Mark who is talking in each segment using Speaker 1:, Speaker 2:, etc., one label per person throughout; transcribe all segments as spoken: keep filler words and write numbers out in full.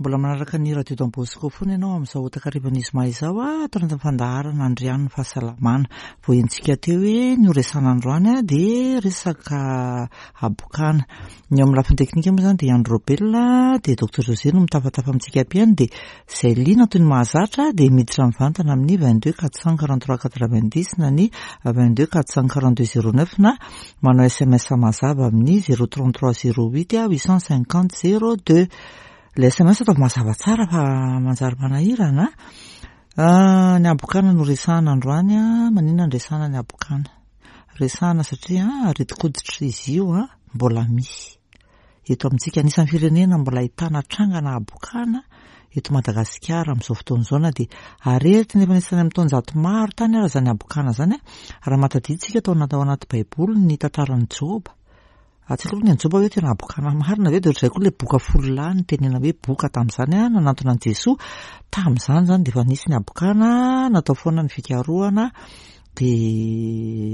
Speaker 1: Mbola manaraka ny Radio Don Bosco foana ianao amin'izao takarivan'ny zoma izao, ato anatin'ny fandaharana Andrian'ny Fahasalamana. Voahentsika teo hoe ny ho resahana androany a dia resaka habokana. Ny eo amin'ny lafiny teknika moa izany dia Andro Robel, dia Docteur José no mitafatafa amintsika mpihaino, dia izay liana toy ny mahazatra dia miditra mivantana amin'ny vingt-deux quatre cent quarante-trois quatre-vingt-dix na ny vingt-deux quatre cent quarante-deux zéro neuf, na manao S M S mazava amin'ny zéro trente-trois zéro huit huit cent cinquante zéro deux. Le S M S ataovy mazava tsara fa manjary manahirana. Ny habokana no resahana androany. A maninona ny resahana ny habokana? Resahana satria aretin-koditra izy io, a mbola misy eto amintsika. Anisan'ny firenena mbola ahitana trangana habokana eto Madagasikara amin'izao fotoana izao, na dia aretina efa nisy tany amin'ny taonjato maro tany ara zany habokana zany. A raha mahatadiditsika tao anaty ao anaty Baiboly ny tantaran'ny Joba, atsika aloha ny an'i Joba hoe tena habokana marina ve? De ohatr'izay koa le boka folo lahy ny tenena hoe boka tamin'izany, a nanantona an'i Jesoa tamin'izany zany, de efa nisy ny habokana, natao foana ny fikarohana. De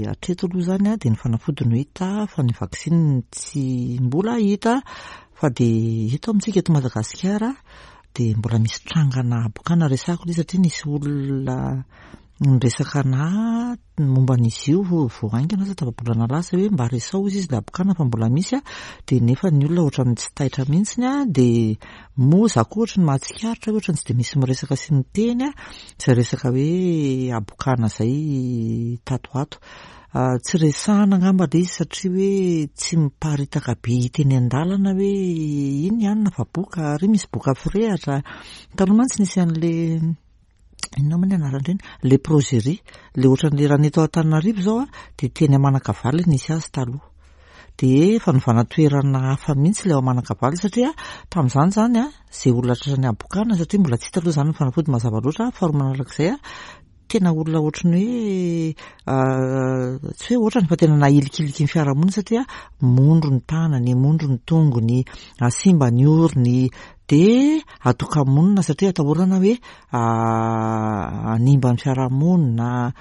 Speaker 1: hatreto aloha zany a de ny fanafody no hita fa ny vaksiny tsy mbola hita. Fa de eto amintsika eto Madagasikara de mbola misy trangana habokana. Resahako ilay izy satria nisy olona niresaka ana momba an'izy io vao haingana asa tapa-bolana lasa, hoe mba resao izy izy le habokana fa mbola misy. A de nefa ny olona ohatran'ny tsy taitra mihitsiny. A de moa za koa ohatry ny mahatsikaritra hoe ohatran'ny tsy de misy miresaka sy miteny a zay resaka hoe habokana zay tato ato. Tsy resahana angamba le izy satria hoe tsy miparitaka be hita eny an-dalana hoe iny hanina fa boka ary misy boka firehatra. Taloha mantsy nisy an'le, inona moa ny anaran'ireny, léproserie, le ohatran'le raha ny eto Antananarivo zao a de teny Manakavaly nisy azy taloha, de fanovana toerana hafa mihitsy le ao Manakavaly, satria tamin'izany zany a zay olona tratra ny habokana, satria mbola tsy hita aloha zany ny fanafody mazava loatra. Faharoa manarak'izay, a tena olona ohatrany hoe, tsy hoe ohatrany fa tena nahilikiliky ny fiarahamonina, satria mondro ny tanany, mondro ny tongony, simba ny orony, de atoka-monina satria atahorana hoe hanimba ny fiarahamonina,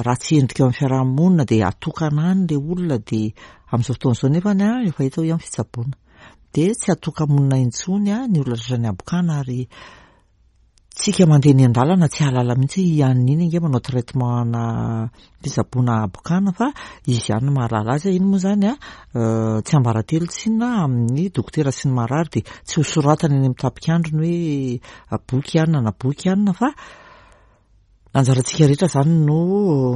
Speaker 1: ratsy endrika eo amin'ny fiarahamonina, de atokana any le olona. De amin'izao fotoana izao nefany a efa hita hoe amin'ny fitsaboana de tsy atoka-monina intsony a ny olona tratra ny habokana, ary tsika mandeha ny an-dalana tsy hahalala mihitsy hoe ianina iny ange manao traitement na fitsaboana habokana, fa izy ihany no mahalala azy. Iny moa zany a tsy ambaratelo tsinona amin'ny dokotera sy ny marary, de tsy ho soratana eny amin'ny tapikandrony hoe boky ianina na boky ianina, fa anjarantsika rehetra zany no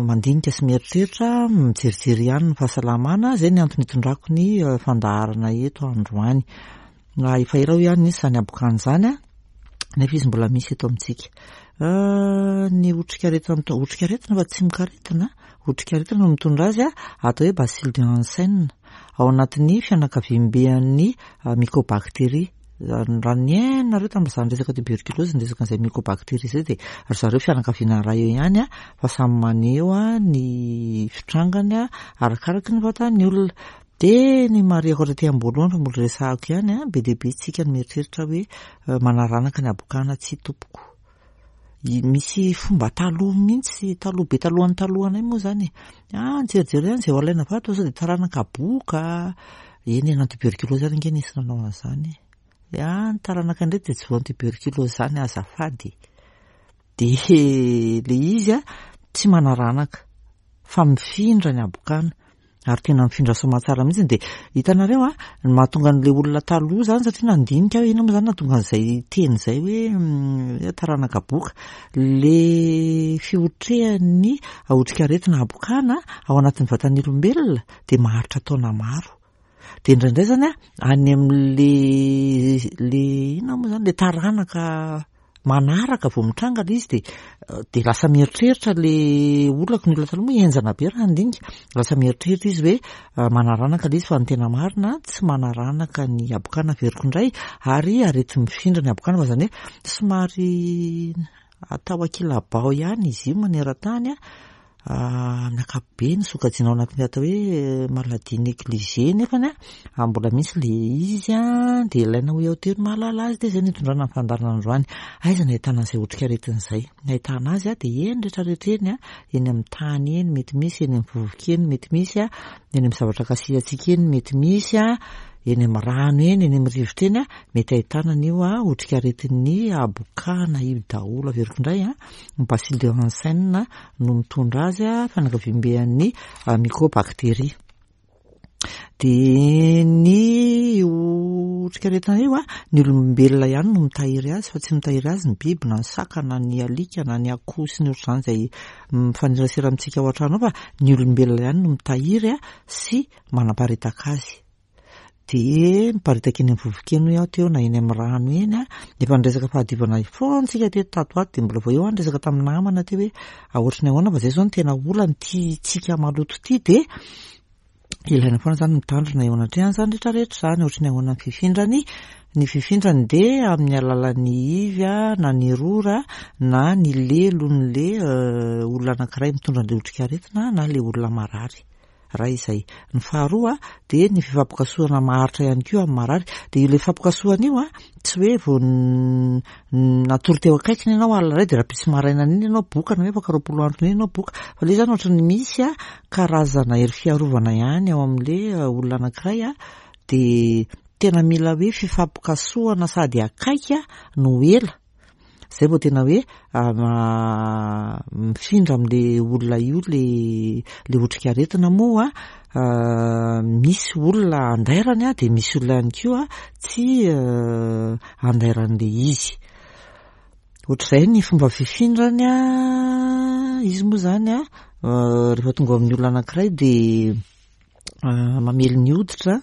Speaker 1: mandinika sy mieritreritra, mijerijery ihany ny fahasalamana. Zay ny antony hitondrako ny fandaharana eto androany. Na efa ela ho ihany nisy zany habokana zany a nefa izy mbola misy eto amintsika. Ny otrikaretina, otrikaretina fa tsy mikaretina, otrikaretina no mitondra azy, a atao hoe bacille de Hansen, ao anatin'ny fianakaviamben'ny mycobactérie. Raha ny hainareo tamin'izany resaka tuberculose, ny resaka an'izay mycobactérie zay, de ry zareo fianakaviana ray eo ihany a fa samy maneho a ny fitrangany a arakaraky ny vatan'ny olona. De ny marihako aty am-boalohany fa mbola resahako ihany, a be dia be tsika ny mieritreritra hoe manaranaka ny habokana. Tsy tompoko, misy fomba taloha mihitsy, taloha be, talohan'ny talohanay moa zany e, ah nijerijery ihany zay ho alaina vato sao de taranaka boka eny e, na tuberculose any ange nisy nanao an'izany e, ah ny taranaka indray de tsy voan'ny tuberculose zany azafady. De le izy a tsy manaranaka fa mifindra ny habokana, ary tena mifindra soamantsara mihitsy. De hitanareo a ny mahatonga an'le olona taloha zany, satria nandinika hoe ina moa zany nahatonga an'izay teny zay hoe taranaka boka, le fiotrehan'ny otrikaretina habokana ao anatin'ny vatan'ny olombelona de maharitra taona maro. De indraindray zany a any am'le le ina moa zany, le taranaka manaraka vao mitranga le izy, de de lasa mieritreritra le olako, ny olona taloha moa enjana be raha handinika, lasa mieritreritra izy hoe manaranaka le izy. Fa ny tena marina, tsy manaranaka ny habokana, averiko indray, ary arety mifindra ny habokana, fa zany hoe somary atao ankilabao ihany izy io maneran-tany. A amin'ny ankapobeny sokajiana ao anatin'ny atao hoe maladie négligée, nefany a mbola misy le izy, a de ilaina ho eo telo mahalala azy. De zay no hitondrana ny fandaharana androany. Aiza no ahitana an'izay otrikaretina izay? Ny ahitana azy a de eny rehetrarehetra eny, a eny amin'ny tany eny mety misy, eny amin'ny vovoka eny mety misy, a eny amin'ny zavatra kasihantsika eny mety misy, a eny amin'ny rano eny, eny amin'ny rivotra eny, mety ahitana an'io otrikaretin'ny habokana io daholo. Averiko indray, ny bacille de Hansen no mitondra azy, fianakaviamben'ny mycobactérie. Dia ny otrikaretina io, ny olombelona ihany no mitahiry azy fa tsy mitahiry azy ny biby na ny saka na ny alika na ny akoho sy ny ohatr'izany izay mifanerasera amintsika ao an-trano ao, fa ny olombelona ihany no mitahiry sy manaparitaka azy. Dia miparitaka eny amin'ny vovoka eny hoy aho teo na eny amin'ny rano eny. Efa niresaka fahadiovana foana tsika teto tato ato, dia mbola vao eo aho niresaka tamin'ny namana teo hoe ohatry ny ahoana fa izay izao no tena olana ity tsika maloto ity, dia ilaina foana izany mitandrina eo anatrehan'izany rehetrarehetra izany. Ohatry ny ahoana ny fifindrany? Ny fifindrany dia amin'ny alalan'ny ivy na ny rora na ny lelon'le olona anankiray mitondra an'ilay otrikaretina na ilay olona marary. Raha izay. Ny faharoa dia ny fifampikasohana maharitra ihany koa amin'ny marary. Dia ilay fifampikasohana io tsy hoe vao natory teo akaikiny ianao alina iray dia rahampitso maraina iny ianao boka na hoe afaka roapolo andro iny ianao boka. Fa ilay izany ohatry ny misy karazana hery fiarovana ihany ao amin'ilay olona anankiray, dia tena mila hoe fifampikasohana sady akaiky no ela. Izay vao tena hoe mifindra amin'ilay olona io ilay ilay otrikaretina. Moa misy olona andairany, dia misy olona ihany koa tsy andairan'ilay izy. Ohatr'izay ny fomba fifindrany. Izy moa izany rehefa tonga amin'ny olona anankiray dia mamely ny hoditra,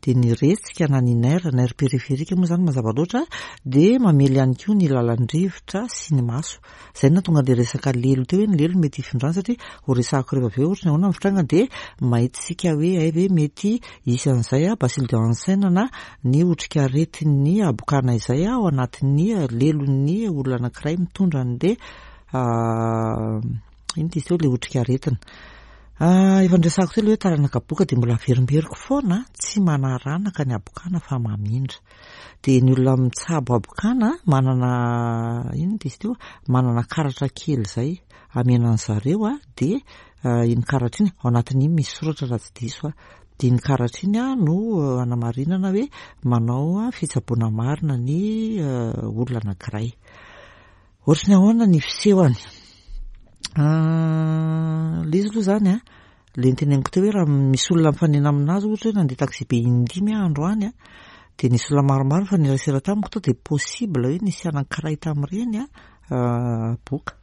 Speaker 1: dia ny retsika na ny nerf, nerf périphérique moa izany mazava loatra, dia mamely ihany koa ny lalan-drivotra sy ny maso. Izay no nahatonga an'ilay resaka lelo teo hoe ny lelo mety hifindrany, satria ho resahako rehefa avy eo ohatry ny ahoana ny fitrangany, dia mahitsika hoe hay ve mety hisy an'izay bacille de Hansen na ny otrikaretin'ny habokana izay ao anatin'ny lelon'ny olona anankiray mitondra an'ilay ino izy teo, ilay otrikaretina. Efa niresahako teo ilay hoe taranaka boka, dia mbola averimberiko foana, tsy manaranaka ny habokana fa mamindra. Dia ny olona mitsabo habokana manana ino izy teo, manana karatra kely izay omena an'zareo, dia iny karatra iny ao anatin'iny misy soratra raha tsy diso aho. Dia iny karatra iny no anamarinana hoe manao fitsaboana marina ny olona anankiray. Ohatry ny ahoana ny fisehony? Ilay izy aloha izany, ilay noteneniko teo hoe raha misy olona mifanena aminazy, ohatra hoe nandeha taxi be indimy aho androany, dia nisy olona maromaro nifanerasera tamiko tao, dia possible hoe nisy anankiray tamin'ireny boka.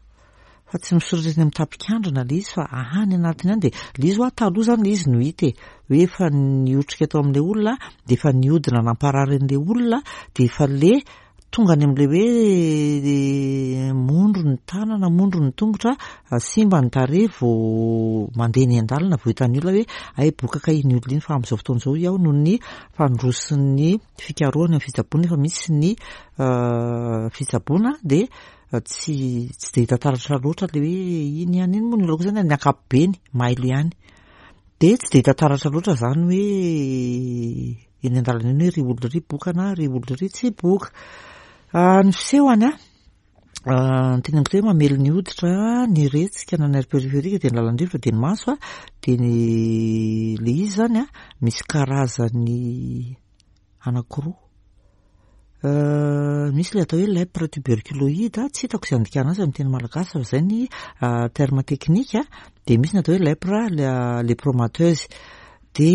Speaker 1: Fa tsy misoratra eny amin'ny tapikandrina ilay izy fa any anatiny any. Dia ilay izy hoa taloha izany ilay izy no hita e, hoe efa niotrika tao amin'ilay olona, dia efa nihodina namparary an'ilay olona, dia efa le tonga any amin'ilay hoe mondro ny tanana, mondro ny tongotra, simba ny tarehy vao mandeha eny an-dalana vao hitan'ny olona hoe ay boka kay iny olona iny. Fa amin'izao fotoana izao iaho noho ny fandrosin'ny fikarohana amin'ny fitsaboana, efa misy ny fitsaboana, dia tsy tsy dia hita taratra loatra ilay hoe iny ihany iny moa ny olona koa izany amin'ny ankapobeny mailo ihany, dia tsy dia hita taratra loatra izany hoe eny an-dalana eny hoe ry olona ry boka na ry olona ry tsy boka. Ny fisehony, ny teneniko teo hoe mamely ny hoditra, ny retsika na nerf périphérique, dia ny lalan-drivotra, dia ny maso. Dia ny ilay izy izany misy karazany anankiroa. Misy ilay atao hoe lèpre tuberculoïde, tsy hitako izay andikana azy amin'ny teny malagasy fa izay ny terme technique, dia misy ny atao hoe lèpre lépromateuse. Dia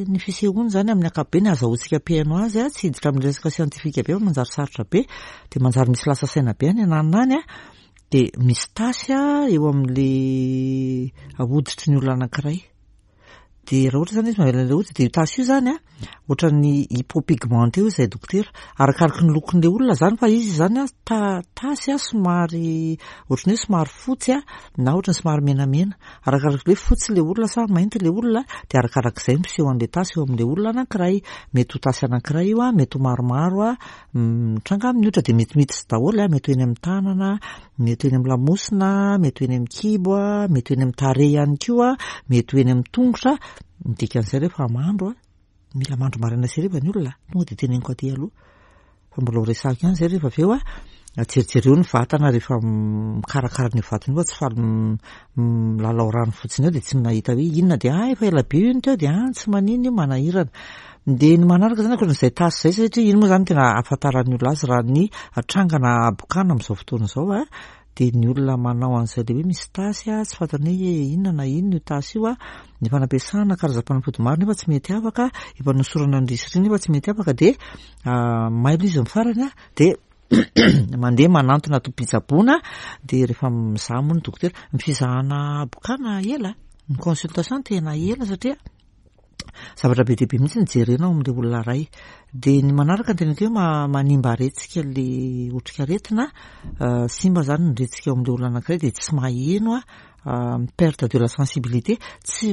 Speaker 1: ny fisehoany izany amin'ny ankapobeny azahoantsika mpihaino azy, tsy hiditra amin'ny resaka siantifika be fa manjary sarotra be, dia manjary misy lasa saina be any ananona any, dia misy tasy eo amin'ilay hoditry ny olona anankiray. Dia raha ohatra izany izy mamela an'ilay hoditra, dia io tasy io izany ohatran'ny hypopigmenté hoy izahay dokotera, arakaraky ny lokon'ilay olona izany, fa izy izany ta- tasy somary ohatran'ny hoe somary fotsy na ohatran'ny somary menamena, arakaraky hoe fotsy ilay olona sa mainty ilay olona, dia arakarak'izay miseho an'ilay tasy eo amin'ilay olona anankiray. Mety ho tasy anankiray io, mety ho maromaro mitranga amin'ny hoditra, dia mety miditra daholo, mety ho eny amin'ny tanana, mety ho eny amin'ny lamosina, mety ho eny amin'ny kibo, mety ho eny amin'ny tarehy ihany koa, mety ho eny amin'ny tongotra. Ny dikan'izay rehefa mandro, mila mandro maraina sy hariva ny olona, tonga dia teneniko aty aloha fa mbola ho resahako ihany izay rehefa avy eo. Jerijereo ny vatana rehefa mikarakara an'io vatana io fa tsy faly milalao rano fotsiny eo dia tsy mahita hoe inona dia ah efa ela be io teo dia ah tsy maninona io, manahirana. Dia ny manaraka zany ankoatran'izay tasy izay, satria iny moa zany tena ahafantaran'ny olona azy raha ny trangana habokana amin'izao fotoana izao a, dia ny olona manao an'izay le hoe misy tasy a, tsy fantany hoe inona na inona io tasy io a, efa nampiasana karazam-panafody maro nefa tsy mety afaka, efa nosorana ny risiriny nefa tsy mety afaka, dia mailo izy ny farany a, dia mandeha manantona tompom-pitsaboana. Dia rehefa mizaha moa ny dokotera, ny fizahana habokana ela, ny consultation tena ela satria zavatra be dia be mihitsy ny jerena ao amin'ilay olona iray. Dia ny manaraka ny tena hoe manimba retsika le otrikaretina, simba zany ny retsika ao amin'ilay olona anankiray dia tsy maheno a, perte de la sensibilité, tsy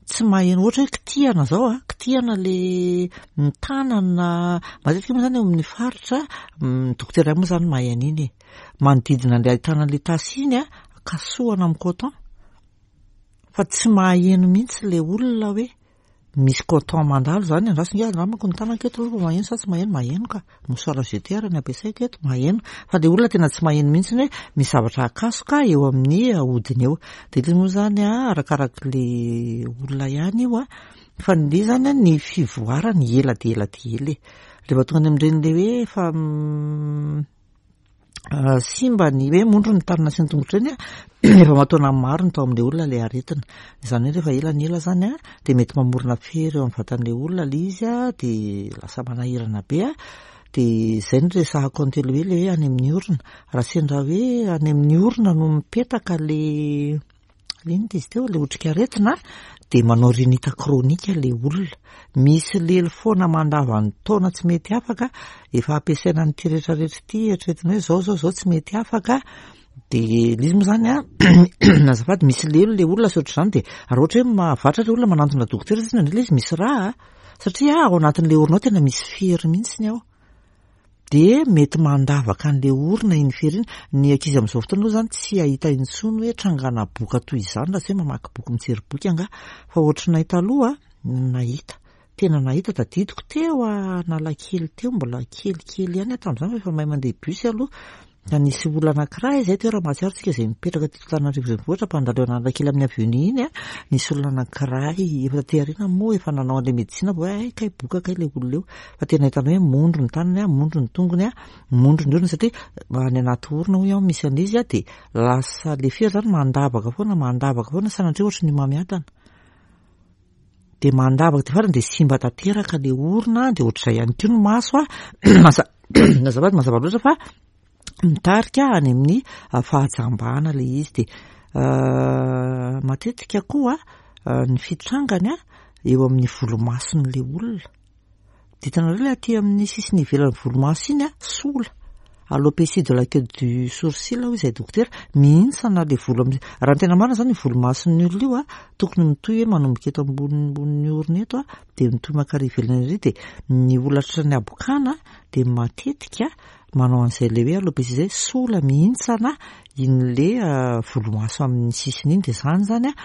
Speaker 1: tsy maheno ohatra hoe kitihana zao a, kitihana le ny tanana matetika moa zany eo amin'ny faritra, ny dokotera moa zany mahay an'iny e, manodidina an'ilay ahitana an'ilay tasy iny a, kasohana amin'ny coton fa tsy maheno mihitsy le olona hoe misy coton mandalo zany. Andraso nge, angambako ny tanako eto aloha fa maheno sa tsy maheno? Maheno ka, mouchoir jeté ary ny ampiasaiko eto, maheno, fa le olona tena tsy maheno mihitsy hoe misy zavatra akasoka eo amin'ny hodiny eo. De ilay moa zany a, arakarak'le olona ihany io a, fa ny zany a, ny fivoarany ela de ela de ela e, rehefa tonga any amin'ireny le hoe efa simba ny hoe mondro ny tanana sy ny tongotra ireny a, efa mataona maro ny tao amin'ilay olona ilay aretina. Izany hoe rehefa ela ny ela zany a, de mety mamorona fery eo amin'ny vatan'ilay olona le izy a, de lasa manahirana be a. De zay no resahako an'telo hoe le hoe any amin'ny orona, raha sendra hoe any amin'ny orona no mipetaka le le inona izy teo, le otrikaretina, de manao rhinite chronique le olona, misy lelo foana mandavan'ny taona tsy mety afaka, efa ampiasaina an'ity rehetrarehetra ity, eritreretina hoe zao zao zao tsy mety afaka. De le izy moa zany a, azafady, misy lelo le olona sy ohatr'izany, de raha ohatra hoe mahavatra le olona manantona dokotera satria indraindray le izy misy rà, satria ao anatin'le orona ao tena misy fery mihitsy ao, de mety mandavaka an'le orona iny fery iny. Ny ankizy amin'izao fotoana aloha zany tsy hahita intsony hoe trangana boka toy izany raha tsy hoe mamaky boky, mijery boky angaha, fa ohatranay taloha nahita, tena nahita, tadidiko teo Analakely teo, mbola kelikely ihany aho tamin'izany fa efa mahay mandeha bus aloha, da nisy olona anankiray izay teo, raha mahatsiaro tsika izay mipetraka teto Antananarivo renivohitra mpandalo eo Analakely amin'ny avenue iny a, nisy olona anankiray efa taty aoriana moa efa nanao an'ilay médecine vao hoe ay kay boka kay le olona io, fa tena hitany hoe mondro ny tanany a, mondro ny tongony a, mondro ny orona, satria any anaty orona hoy aho misy an'izy a, de lasa le fery zany mandavaka foana, mandavaka foana, sanatria ohatry ny homamiadana, de mandavaka de farany de simba tanteraka le orona. De ohatr'izay ihany koa ny maso a, azafady, mazava loatra fa mitarika any amin'ny fahajambana le izy. De matetika koa ny fitrangany a, eo amin'ny volomason'le olona, de hitanareo le aty amin'ny sisiny ivelan'ny volomaso iny a, sola, alopécie de la queue du sourcil hoy izay dokotera, mihintsana le volo am-. Raha ny tena marina zany, ny volomason'ny olona io a, tokony mitohy hoe manomboka eto ambonimbony orona eto a, de mitohy mankary ivelany ery, de ny olona tratran'ny habokana de matetika manao an'izay le hoe alopécie zay, sola mihintsana iny le volomaso amin'ny sisiny iny. De zany zany a,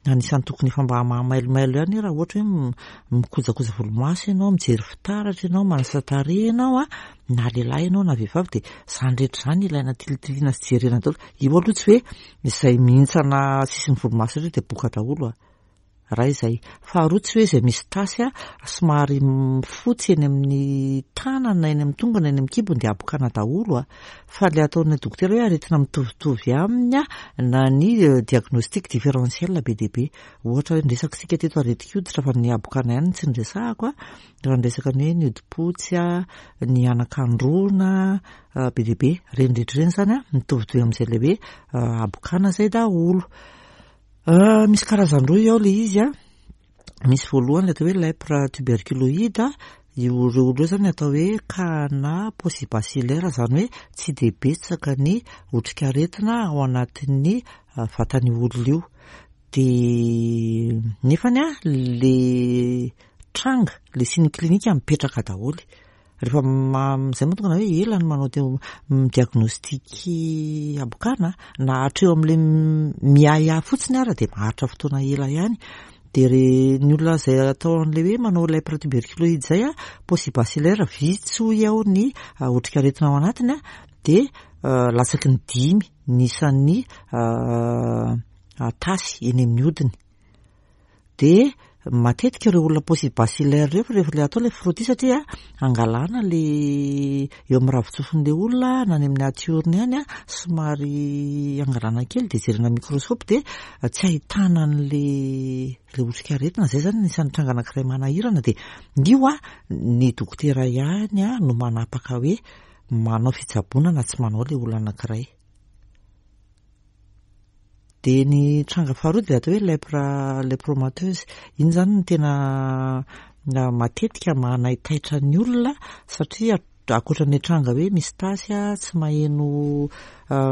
Speaker 1: anisan'ny tokony efa mba mahamailomailo ihany raha ohatra hoe mikojakoja volomaso ianao, mijery fitaratra ianao, manasa tarehy ianao a, na lehilahy ianao na vehivavy, de zany rehetra zany ilaina tilitiliana sy jerena daholo io aloha, tsy hoe izay mihintsana sisin'ny volomaso rehetra de boka daholo a. Raha izay faharoa, tsy hoe izay misy tasy a, somary fotsy eny amin'ny tanana, eny amin'ny tongony, eny amin'ny kibony, de habokana daholo a, fa le ataon'ny dokotera hoe aretina mitovitovy aminy a, na ny diagnostic différentiel be dia be. Ohatra hoe niresaka isika teto aretin-koditra, fa ny habokana ihany tsy niresahako a, raha niresaka ny hoe ny hodi-potsy a, ny anakandrona be dia be, ireny rehetra ireny zany a mitovitovy amin'izay le hoe habokana zay daholo. Misy karazan-droa ao le izy a, misy voalohany le atao hoe lèpre tuberculoïde, io ireo olona io zany atao hoe cas-na paucibacillaire, zany hoe tsy de betsaka ny otrikaretina ao anatin'ny vatan'io olona io, de nefany a le tranga, le signe clinique mipetraka daholo rehefa ma- zay moa tonga na hoe ela ny manao teo midiagnostic habokana, na hatreo amin'le miahiahy fotsiny ara de maharitra fotoana ela ihany. De re ny olona zay atao an'le hoe manao lèpre tuberculoïde zay a, paucibacillaire, vitsy hoy aho ny otrikaretina ao anatiny a. dia latsaky ny dimy ny isan'ny tasy eny amin'ny hodiny. Dia matetika ireo olona paucibacillaire ireo rehefa ilay atao ilay frottis satria angalana le eo amin'ny ravin-tsofin'ilay olona na any amin'ny atiorony any, somary angalana kely dia jerena microscope dia tsy ahitana an'le le otrikaretina. Zay zany anisan'ny tranga anankiray manahirana. Dia io a ny dokotera ihany a no manapaka hoe manao fitsaboana na tsy manao ilay olona anankiray. Dia ny tranga faharoa dia atao hoe lèpre lépromateuse. Iny zany no tena matetika manaitaitra ny olona satria ankoatra ny tranga hoe misy tasy a tsy maheno,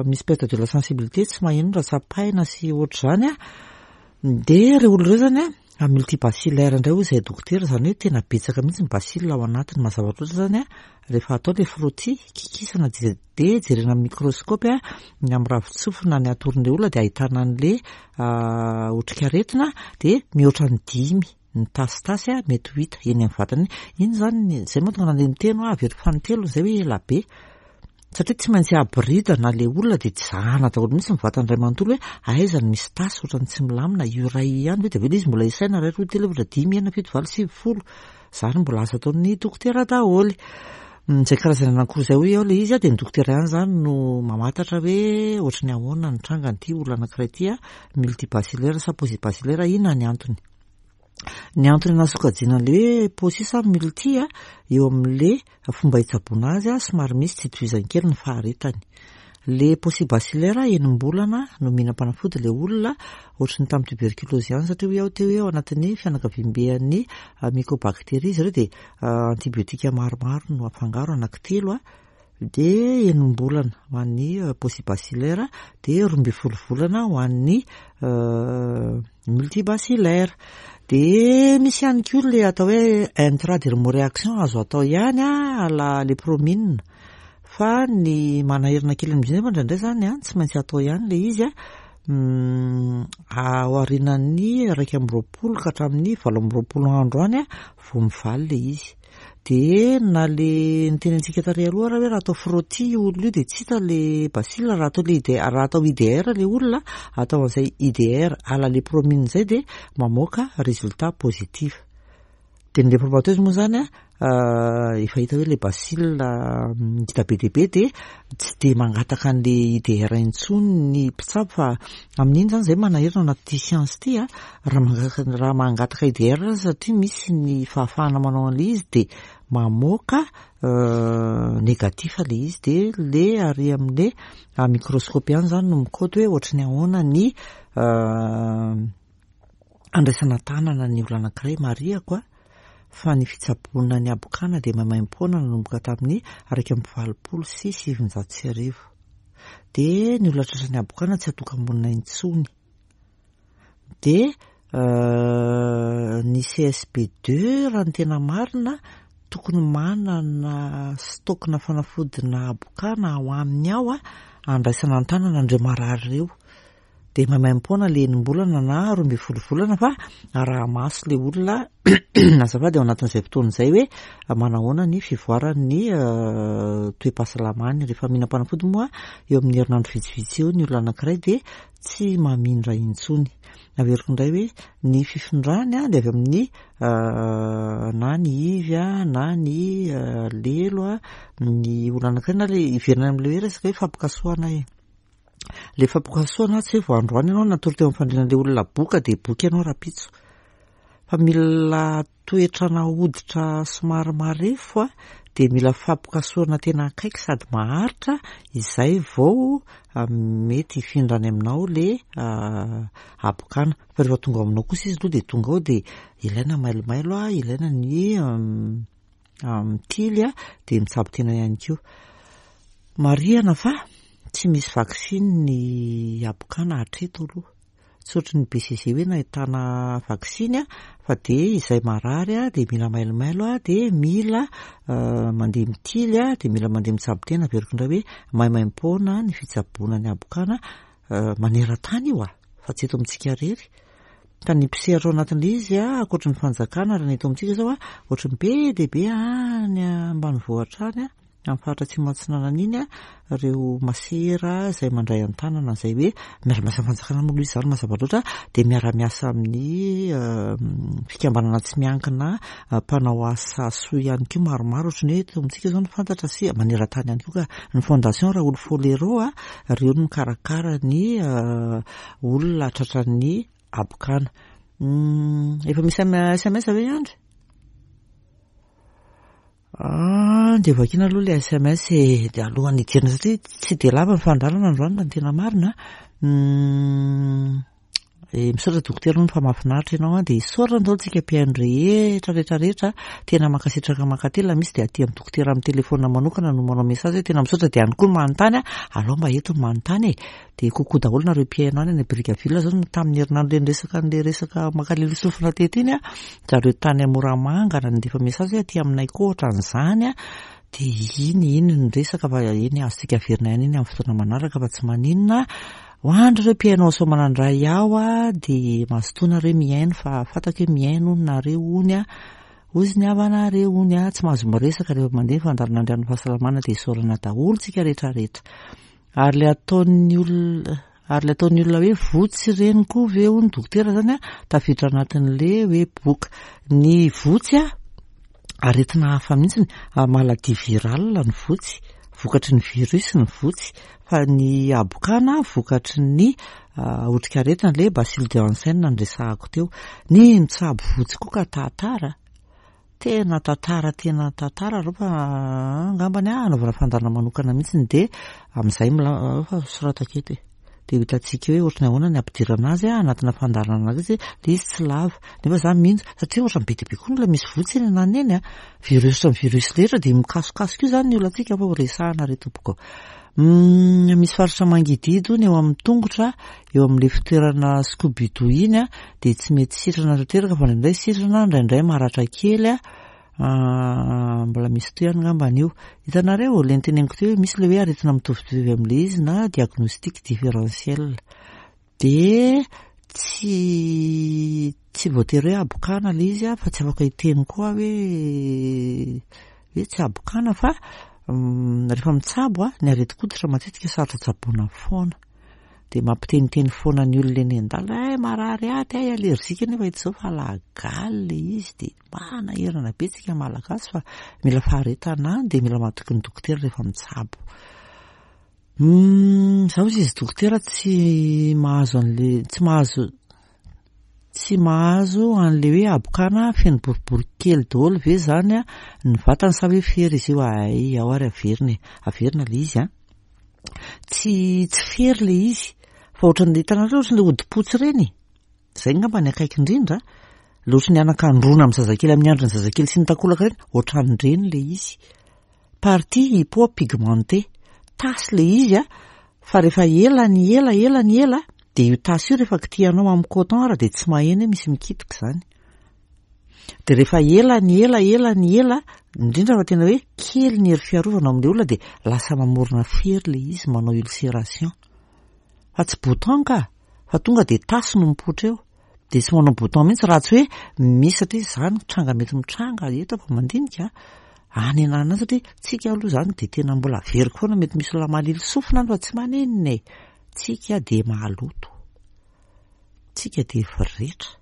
Speaker 1: misy perte de la sensibilité, tsy maheno raha tsapaina sy ohatr'izany a, dia ireo olona ireo zany a multibacillaire indray hoy izahay dokotera, zany hoe tena betsaka mihitsy ny bacille ao anatiny. Mazava loatra zany a rehefa atao ilay frottis, kikisana dia jerena amin'ny microscope a ny amin'ny ravin-tsofina ny atoron'ilay olona dia ahitana an'le otrikaretina, dia mihoatra ny dimy ny tasitasy a mety ho hita eny amin'ny vatany iny. Zany zay mahatonga an'ilay miteny hoe averiko fanintelony zay hoe ela be, satria tsy maintsy aboridana le olona dia zahana daholo mihitsy ny vatany iray manontolo hoe aiza no misy tasy ohatran'ny tsy milamina, io iray ihany ve? Dia avy eo ilay izy mbola isaina iray, roa, telo, efatra, dimy, enina, fito, valo, sivy, folo. Zany mbola asa ataon'ny dokotera daholo. Izay karazana anankiroa izay hoy aho ilay izy a, dia ny dokotera ihany zany no mamantatra hoe ohatry ny ahoana ny trangan'ity olona anankiray ity a, multibacillaire sa paucibacillaire, inona ny antony. Ny antony anasokajiana an'ilay hoe pauci sa multi a, eo amin'le fomba hitsaboana azy a, somary misy tsy itovizany kely ny faharetany. Le paucibacillaire enim-bolana no mihinam-panafody ilay olona, ohatry ny tamin'ny tuberculose ihany, satria hoy aho teo hoe ao anatin'ny fianakaviamben'ny mycobactérie izy ireo, dia antibiotika maromaro no afangaro, anankitelo a, dia enim-bolana ho an'ny paucibacillaire, dia roa ambin'ny folo volana ho an'ny multibacillaire. Dia misy ihany koa le atao hoe intradermoréaction azo atao ihany a à la lépromine, fa ny manahirana kely amin'izy io nefa indraindray zany a tsy maintsy atao ihany le izy a, aorianan'ny iraika amby roapolo ka hatramin'ny valo amby roapolo andro any a vao mivaly le izy. Dia na le niteny antsika tary aloha raha hoe raha atao frottis io olona io dia tsy hita le bacille, raha atao le I D, raha atao I D R le olona, atao an'izay I D R à la lépromine zay dia mamoaka résultat positif. Dia ny lépromateuse moa zany a efa hita hoe le bacille hita be dia be, dia tsy dia mangataka an'le I D R intsony ny mpitsabo, fa amin'iny zany zay manahirana anaty science ity a, raha mangataka raha mangataka I D R satria misy ny fahafahana manao an'le izy dia mamoaka négatif le izy. Dia le ary amin'le microscope ihany zany no mikaoty hoe ohatry ny ahoana ny andraisana tanana ny olona anankiray. Marihako a fa ny fitsaboana ny habokana dia maimaimpoana nanomboka tamin'ny iraika amby valopolo sy sivinjato sy arivo, dia ny olona tratra ny habokana tsy atoka-monina intsony. Dia ny C S B deux raha ny tena marina tokony manana stock-na fanafodina habokana ao aminy ao a andraisana an-tanana andreo marary ireo, dia maimaimpoana le enim-bolana na roa ambin'ny folo volana, fa araha-maso le olona azafady ao anatin'izay fotoana izay hoe manahoana ny fivoaran'ny toe-pahasalamany. Rehefa mihinam-panafody moa eo amin'ny herinandro vitsivitsy eo ny olona anankiray dia tsy mamindra intsony. Averiko indray hoe ny fifindrany a dia avy amin'ny na ny ivy a na ny lelo a ny olona anankiray, na le iverina amin'le hoe resaka hoe fampikasohana e. Le fampikasohana tsy hoe vao androany ianao natory teo amin'ny fandrian'le olona boka dia boka ianao rahampitso, fa mila toetrana hoditra somary marefo a, dia mila fampikasohana tena akaiky sady maharitra izay vao mety hifindrany aminao le habokana. Fa rehefa tonga ao aminao kosa izy aloha dia tonga ao, dia ilaina mailomailo a, ilaina ny mitily a, dia mitsabo tena ihany koa. Marihana fa tsy misy vaksiny ny habokana hatreto aloha, tsy ohatry ny B C G hoe nahitana vaksiny a, fa dia izay marary a dia mila mailomailo a, dia mila mandeha mitily a, dia mila mandeha mitsabo tena. Averiko indray hoe maimaimpoana ny fitsaboana ny habokana maneran-tany io a, fa tsy eto amintsika irery. Ka ny mpisehatra ao anatin'ilay izy a, ankoatry ny fanjakana, raha ny eto amintsika zao a, ohatry ny be dia be any ambanivohitra any a, amin'ny faritra Atsimo Atsinanana iny a, ireo masera izay mandray an-tanana izay hoe miara-miasa amin'ny fanjakana moa aloha izy izany mazava loatra, dia miara-miasa amin'ny fikambanana tsy miankina mpanao asa soa ihany koa maromaro, ohatran'ny hoe eto amintsika izao no fantatra sy maneran-tany ihany koa ka ny Fondation Raoul Folero a, ireo no mikarakara ny olona tratran'ny habokana. Efa misy S M S ve Andry? Ah, dia vakiana aloha ilay S M S e, dia alohan'ny hidirana satria tsy dia lava ny fandaharana androany raha ny tena marina. Hmm, e, misaotra dokotera hono fa mahafinaritra ianao, dia isaorana daholo tsika mpihaino rehetra, rehetra, rehetra. Tena mankasitraka mankatelina, misy dia aty amin'ny dokotera amin'ny telefona manokana no manao message hoe tena misaotra, dia any koa ny manontany, alao mba eto ny manontany e. Dia coucou daholo nareo mpihaino any any Brickaville zao tamin'ny herinandro ilay niresaka an'ilay resaka mankaleo sofina teto iny a, zareo tany Moramanga nandefa message hoe aty aminay koa ohatran'izany a, dia iny, iny ny resaka fa iny azontsika averina ihany iny amin'ny fotoana manaraka fa tsy maninona. Ho an'ireo mpihaino ao Soamanandray ao a, dia mazotoa nareo mihaino fa fantako hoe mihaino hono nareo hono a, hozy ny havanareo hono a, tsy mahazo miresaka rehefa mandeha ny fandaharana Andrian'ny Fahasalamana, dia isaorana daholo tsika rehetrarehetra. Ary ilay ataon'ny olona, ary ilay ataon'ny olona hoe votsy ireny koa ve hono dokotera zany a, tafiditra anatin'ilay hoe boka. Ny votsy a, aretina hafa mihitsy, maladie virale ny votsy, vokatry ny virus ny votsy, fa ny habokana vokatry ny otrikaretina ilay bacille de Hansen noresahako teo. Ny mitsabo votsy koa ka tantara, tena tantara, tena tantara aloha fa angambany a, anaovana fandaharana manokana mihitsy dia amin'izay mila fa soratako eto e. Dia ho hitantsika hoe ohatran'ny ahoana ny ampidirana azy a, anatina fandaharana anazy, ilay izy tsy lava. Nefa za mino satria ohatran'ny be dia be koa ny olona misy votsy eny ananona eny a, virus ny virus rehetra dia mikasokasoka io izany ny olantsika fa ho resahana re tompoko. Hmm, misy faritra mangididy hono eo amin'ny tongotra, eo amin'ilay fitoerana Scooby-Doo iny a, dia tsy mety sitrana tanteraka fa indraindray sitrana, indraindray maratra kely a. Ah, mbola misy toy ihany angamba an'io. Hitanareo, ilay niteneniko teo hoe misy ilay hoe aretina mitovitovy amin'ilay izy na diagnostic différentiel. Dia tsy, tsy voatery hoe habokana ilay izy a, fa tsy afaka hiteny koa hoe, hoe tsy habokana fa, mm, rehefa mitsabo a, ny aretin-koditra matetika sarotra tsaboina foana. Dia mampiteniteny foana ny olona eny an-dalana, ay marary aty, ay allergique, nefa hita izao fa lagaly ilay izy, dia manahirana be tsika Malagasy fa mila faharetana, dia mila matoky ny dokotera rehefa mitsabo. Hmm, zaho izy dokotera tsy mahazo an'le, tsy mahazo, tsy mahazo an'le hoe habokana feno boribory kely daholo ve zany a, ny vatany sa hoe fery izy io? Ay, ao ary averina e, averina ilay izy a. Tsy, tsy fery ilay izy, fa ohatran'ilay hitanareo ohatran'ilay hodi-potsy ireny. Izay angamba ny akaiky indrindra. Ilay ohatran'ny anakandroana amin'ny zazakely, amin'ny andron'ny zazakely sy ny takolaka ireny, ohatran'ireny ilay izy. Partie hypopigmentée. Tasy ilay izy a, fa rehefa ela ny ela, ela ny ela, dia io tasy io rehefa kitihanao amin'ny coton ary dia tsy maheno hoe misy mikitika izany. Dia rehefa ela ny ela, ela ny ela, indrindra fa tena hoe kely ny hery fiarovana amin'ilay olona, dia lasa mamorona fery ilay izy, manao ulcération. Fa tsy bouton ka, fa tonga dia tasy no mipoitra eo. Dia tsy manao bouton mihitsy raha tsy hoe misy, satria izany tranga mety mitranga eto fa mandinika any ananona any, satria tsika aloha izany dia tena mbola averiko foana, mety misy olona malilo sofina any fa tsy maninona e. Tsika dia maloto, tsika dia voretra.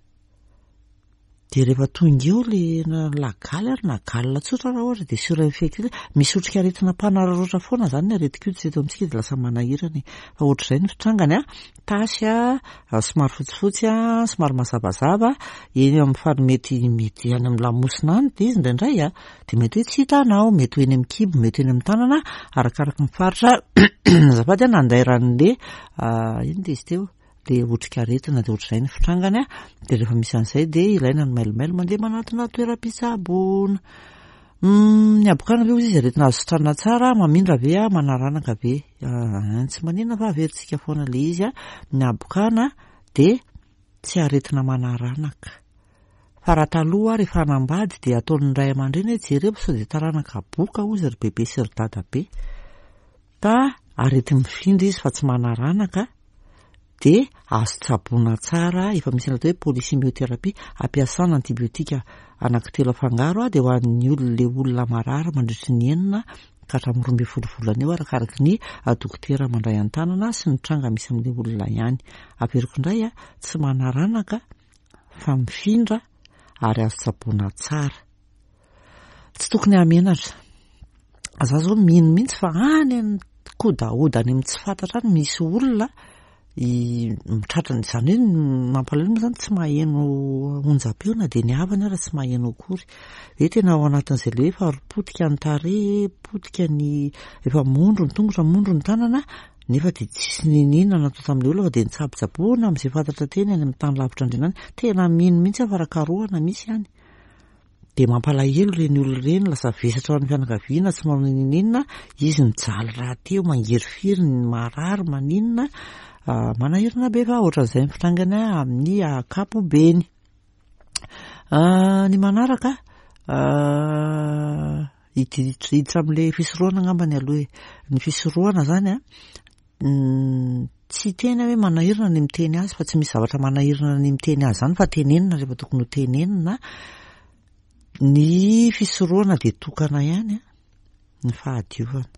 Speaker 1: Dia rehefa tonga eo ilay na lagaly ary na galona tsotra raha ohatra dia surinfecté, misy otrikaretina mpanararaotra foana izany ny aretin-koditra eto amintsika dia lasa manahirana e. Fa ohatr'izay ny fitrangany a, tasy a, somary fotsifotsy a, somary mazavazava, eny amin'ny fary mety, mety any amin'ny lamosina any dia izy indraindray a, dia mety hoe tsy hitanao, mety ho eny amin'ny kibo, mety ho eny amin'ny tanana, arakaraka ny faritra. Azafady a, nandairan'le, ah, ino dia izy teo? Dia otrikaretina dia ohatr'izay ny fitrangany a, dia rehefa misy an'izay dia ilaina ny mailomailo mandeha manatona toeram-pitsaboana. Hmm, ny habokana ve hozy izy aretina azo sitranina tsara, mamindra ve a, manaranaka ve? Ah, tsy maninona fa averintsika foana ilay izy a. Ny habokana dia tsy aretina manaranaka. Fa raha taloha rehefa hanambady dia ataon'ny ray aman-dreny hoe jereo sao dia taranaka boka hozy ry bebe sy ry dadabe. Ka areti-mifindra izy fa tsy manaranaka, dia azo tsaboina tsara, efa misy ny atao hoe polychimiothérapie, ampiasana antibiotika anankitelo afangaro a, dia ho an'ny olona, ilay olona marary mandritry ny enina ka hatramin'ny roa ambin'ny folo volana eo, arakaraky ny dokotera mandray an-tanana sy ny tranga misy amin'ilay olona ihany. Averiko indray a, tsy manaranaka fa mifindra ary azo tsaboina tsara. Tsy tokony hamenatra. Za zao mino mihitsy fa any amin'ny kodahoda any amin'ny tsy fantatra any misy olona mitratra izany hoe mampalahelo moa zany tsy maheno onjam-peo na dia ny havany ara tsy maheno akory. Hoe tena ao anatin'izay le hoe efa potika ny tarehy, potika ny efa mondro ny tongotra, mondro ny tanana, nefa dia tsisy niniana natao tamin'ilay olona fa dia nitsabotsaboana amin'izay fantatra teny any amin'ny tany lavitra andriana any. Tena mino mihitsy aho fa raha karohana misy any. Dia mampalahelo ireny olona ireny, lasa vesatra ho an'ny fianakaviana, tsy manao niniana, izy mijaly rahateo, mangirifiry, ny marary, maninona, manahirana be fa ohatran'izay ny fitrangany amin'ny ankapobeny. Ny manaraka, hiditra amin'ilay fisorohana angambany aloha e. Ny fisorohana zany a, tsy tena hoe manahirana ny miteny azy, fa tsy misy zavatra manahirana ny miteny azy zany, fa tenenina rehefa tokony ho tenenina. Ny fisorohana dia tokana ihany a, ny fahadiovana.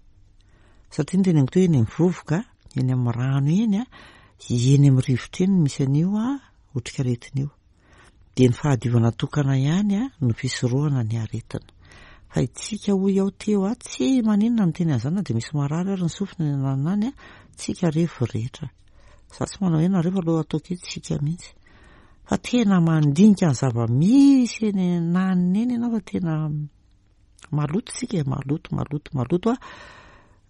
Speaker 1: Satria ny teneniko teo, eny amin'ny vovoka, eny amin'ny rano eny a, eny amin'ny rivotra eny misy an'io a otrikaretina io. Dia ny fahadiovana tokana ihany a no fisorohana ny aretina. Fa itsika hoy aho teo a, tsy maninona miteny an'izany na dia misy marary ary ny sofina ny ananany a, tsika revo rehetra. Za tsy manao hoe nareo fa aloha ataoko hoe tsika mihitsy. Fa tena mandinika ny zava-misy eny ananiny eny ianao fa tena maloto tsika e, maloto, maloto, maloto a.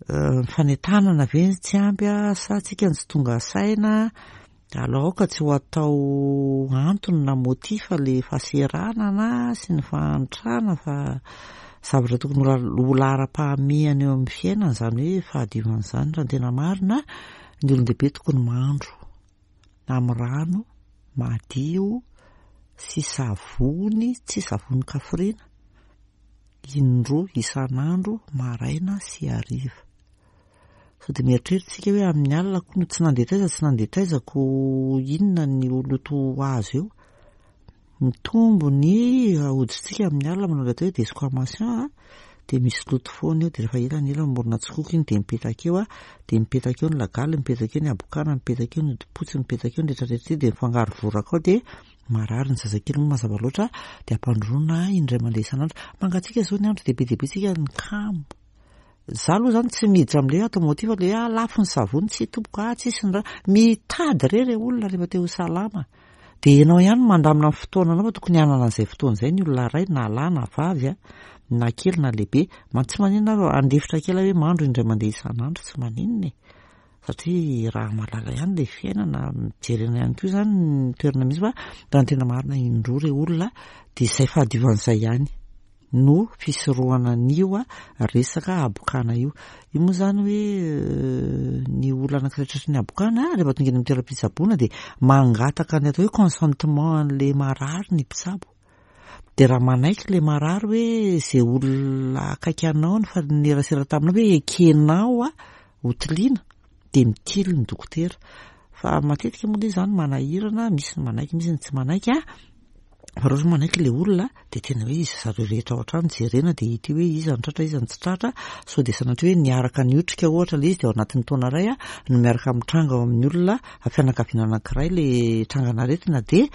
Speaker 1: Ny fanentanana ve tsy ampy a, sa tsika no tsy tonga saina? Aleo aoka tsy ho atao antony na motif le fahaseranana sy ny fahantrana, fa zavatra tokony ho laharam-pahamehana eo amin'ny fiainana izany hoe fahadiovana izany. Raha ny tena marina, ny olon-dehibe tokony mandro amin'ny rano madio sy savony, tsy savony kafrina, indroa isan'andro, maraina sy hariva. Sao dia mieritreritra isika hoe amin'ny alina koa no tsy nandeha taiza, tsy nandeha taiza ko inona ny loto azo eo. Mitombo ny hoditsika amin'ny alina manao ilay atao hoe desquamation a, dia misy loto foana eo, dia rehefa ela ny ela mamorona tsikoko iny dia mipetaka eo a, dia mipetaka eo ny lagaly, mipetaka eo ny habokana, mipetaka eo ny hodi-potsy, mipetaka eo ny rehetrarehetra ity, dia mifangaro voraka ao, dia marary ny zazakely moa mazava loatra, dia ampandroana indray mandeha isan'andro. Mangatsiaka izao ny andro dia be dia be tsika ny kamo. Za aloha zany tsy miditra amin'ilay atao motif le ah lafo ny savony, tsy tompoko, ah tsisy ny raha. Mitady re re olona rehefa te ho salama. Dia ianao ihany mandamina ny fotoananao fa tokony hanana an'izay fotoana izay ny olona iray, na lahy na vavy a, na kely na lehibe. Ma tsy maninona aho andefitra kely hoe mandro indray mandeha isan'andro, tsy maninona e. Satria raha mahalala ihany ilay fiainana, mijerena ihany koa izany ny toerana misy, fa raha ny tena marina indroa re olona, dia izay fahadiovan'izay ihany no fisorohana an'io a resaka habokana io. Io moa izany hoe ny olona anankiray tratry ny habokana rehefa tonga eny amin'ny toeram-pitsaboana dia mangataka ny atao hoe consentement an'ilay marary ny mpitsabo. Dia raha manaiky ilay marary hoe izay olona akaiky anao ny nifanerasera taminao hoe ekenao a ho tiliana, dia mitily ny dokotera. Fa matetika moa ilay izy izany manahirana, misy ny manaiky, misy ny tsy manaiky a. Fa raha ohatra manaiky ilay olona dia tena hoe izy zareo rehetra ao an-trano jerena dia hita hoe iza ny tratra, iza ny tsy tratra, sao dia sanatria hoe niaraka niotrika ohatra ilay izy dia ao anatin'ny taona iray a no miaraka mitranga ao amin'ny olona fianakaviana anankiray ilay trangan'aretina, dia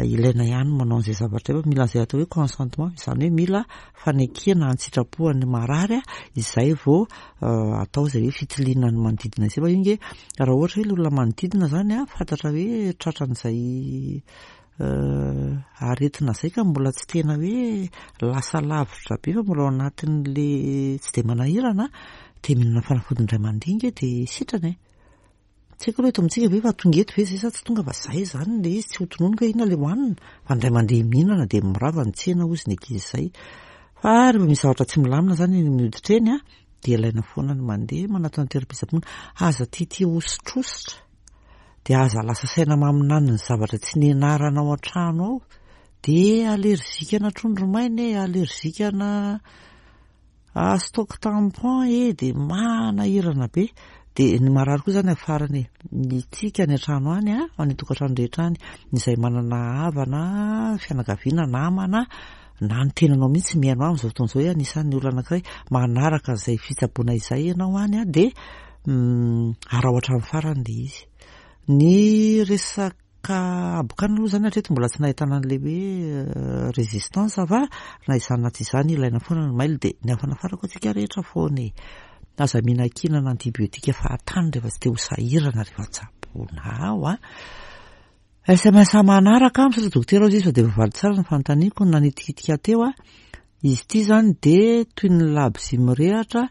Speaker 1: ilaina ihany manao an'izay zavatra io. Mila an'izay atao hoe consentement, izany hoe mila fanekena an-tsitrapoan'ny marary a, izay vao atao izay hoe fitiliana ny manodidina izay. Fa io nge raha ohatra hoe ilay olona manodidina izany a fantatra hoe tratran'izay aretina izay ka mbola tsy tena hoe lasa lavitra be fa mbola ao anatin'le tsy dia manahirana, dia mihinana fanafody indray mandeha nge dia sitrana e. Tsy haiko aloha eto amintsika ve fa tonga eto ve izay sa tsy tonga, fa izay izany ilay izy tsy ho tononiko hoe inona ilay hohanina, fa indray mandeha mihinana dia mirava ny tsena hozy ny ankizy izay. Fa rehefa misy zavatra tsy milamina izany eny amin'ny hoditra eny a, dia ilaina foana ny mandeha manatona ny toeram-pitsaboana. Aza tiatia hosotrositra, dia aza lasa saina maminany ny zavatra tsy nianarana ao an-trano ao, dia alerzika na trondro maina e, alerzika na stock tampon e, dia manahirana be. Dia ny marary koa izany afarany e, ny tsika any an-trano any a, any an-tokantrano rehetra any, izay manana havana, fianakaviana, namana, na ny tenanao mihitsy mihaino ahy amin'izao fotoana izao hoe anisan'ny olona anankiray manaraka izay fitsaboana izay ianao any an, dia araho hatramin'ny farany ilay izy. Ny resaka habokana aloha izany hatreto mbola tsy nahitana an'ilay hoe résistance fa na izany na tsy izany ilaina foana ny mailo dia ny hafanafarako antsika rehetra foana e. Aza mihinan-kinana antibiotika fahatany rehefa tsy te ho sahirana rehefa tsaboina ao an. S M S manaraka, misaotra dokotera hozy izy fa dia voavaly tsara ny fanontaniako nanitikitika teo a. Izy ity izany dia toy ny labozia mirehatra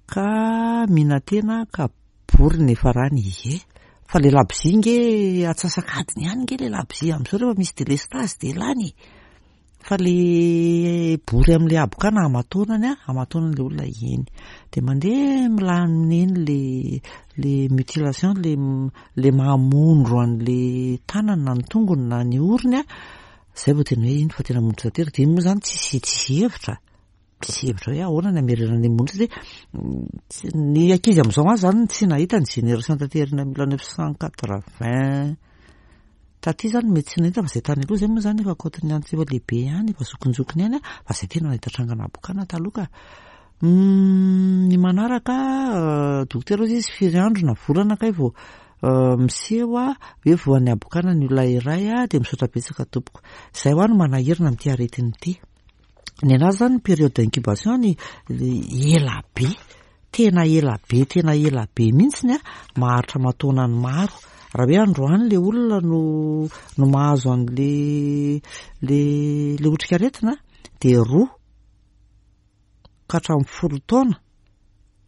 Speaker 1: ka mihinan-tena ka bory ny farany. Ie, fa le labozia nge atsasak'adiny ihany nge le labozia amin'izao rehefa misy délestage dia lany. Fa le bory amin'le habokana aman-taonany a, aman-taonany le olona eny. Dia mandeha milamina eny le, le mutilation, le, le mahamondro an'le tanana na ny tongony na ny orony a. Zay vao tena hoe iny fa tena mondro tanteraka. Dia iny moa izany tsisy, tsisy hevitra. Tsisy hevitra hoe ahoana ny hamerana an'ilay mondro satria ny ankizy amin'izao azy izany tsy nahita ny génération tanterina mille neuf cent quatre-vingt taty izany mety tsy nahita fa izay tany aloha izay moa izany efa ankoatry ny antitra efa lehibe ihany, efa zokinjokiny ihany a, fa izay tena nahita trangana habokana taloha ka. Ny manaraka, dokotera hozy izy firy andro na volana kay vao miseho a, hoe voan'ny habokana ny olona iray a, dia misaotra betsaka tompoko. Izay ho ahy no manahirana amin'ity aretina ity. Ny anazy izany ny période d'incubation ny ela be, tena ela be, tena ela be mihitsy ny a, maharitra aman-taonany maro. Raha hoe androany le olona no, no mahazo an'le, le, le otrikaretina dia roa ka hatramin'ny folo taona,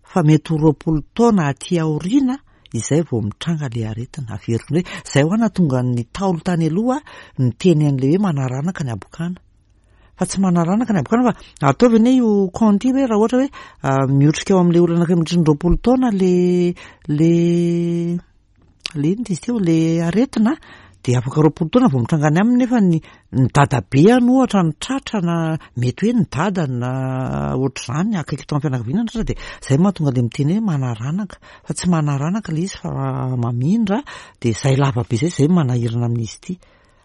Speaker 1: fa mety ho roapolo taona aty aoriana izay vao mitranga le aretina. Averiko indray, izay ho ahy nahatonga ny Ntaolo tany aloha niteny an'le hoe manaranaka ny habokana. Fa tsy manaranaka ny habokana fa ataovy anie io compte io hoe raha ohatra hoe miotrika ao amin'le olona anankiray mandritra ny roapolo taona le, le, le inona izy teo, le aretina, dia afaka roapolo taona vao mitranga any aminy nefa ny, ny dadabe any ohatra ny tratra na mety hoe ny dada na ohatr'izany akaiky tao amin'ny fianakaviana ny tratra, dia izay mahatonga le miteny hoe manaranaka, fa tsy manaranaka le izy fa mamindra, dia izay lava be izay, izay manahirana amin'izy ity.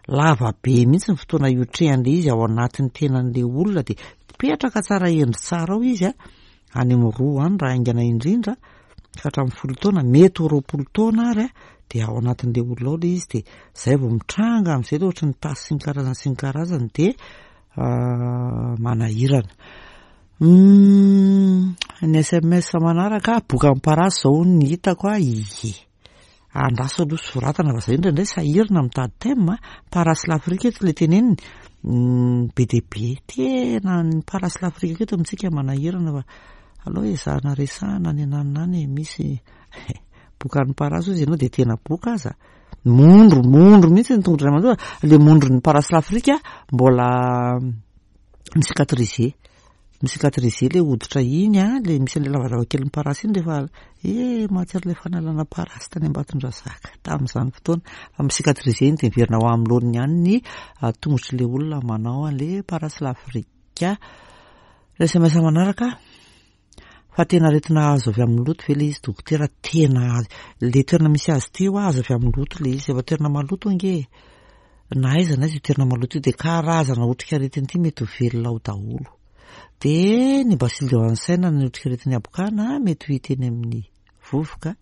Speaker 1: Lava be mihitsy ny fotoana iotrehan'ilay izy ao anatin'ny tenan'ilay olona, dia mipetraka tsara endry tsara ao izy a, any amin'ny roa any raha haingana indrindra, ka hatramin'ny folo taona, mety ho roapolo taona ary a, dia ao anatin'ilay olona ao ilay izy, dia izay vao mitranga amin'izay ilay ohatry ny tasy sy ny karazany sy ny karazany, dia manahirana. Ny S M S manaraka, boka amin'ny parasy izao ny hitako a, ie. Andraso aloha soratana fa izay indraindray sahirana mitady thème a. Parasy l'Afrique eto ilay teneniny, be dia be, tena ny parasy l'Afrique eto amintsika manahirana fa aleo ezahana resahana any ananona any misy bokan'ny parasy hozy ianao dia tena boka aza. Mondro, mondro mihitsy ny tongotra mandoa, le mondron'ny parasy l'Afrique mbola micicatrisé. Micicatrisé le hoditra iny a, le misy an'ilay lavalava kelin'ny parasy iny rehefa, eh, mahatsiaro ilay fanalana parasy tany Ambatondrazaka tamin'izany fotoana. Fa micicatrisé iny dia miverina ho amin'ny laoniny ihany ny tongotr'ilay olona manao an'ilay parasy l'Afrique. S M S manaraka, fa tena aretina azo avy amin'ny loto ve ilay izy dokotera? Tena azo, le toerana misy azy ity ho azo avy amin'ny loto ilay izy, efa toerana maloto ange. Na aiza na aiza io toerana maloto io dia karazana otrikaretina ity mety ho velona ao daholo. Dia ny bacille de Hansen ny otrikaretin'ny habokana mety ho hita eny amin'ny vovoka,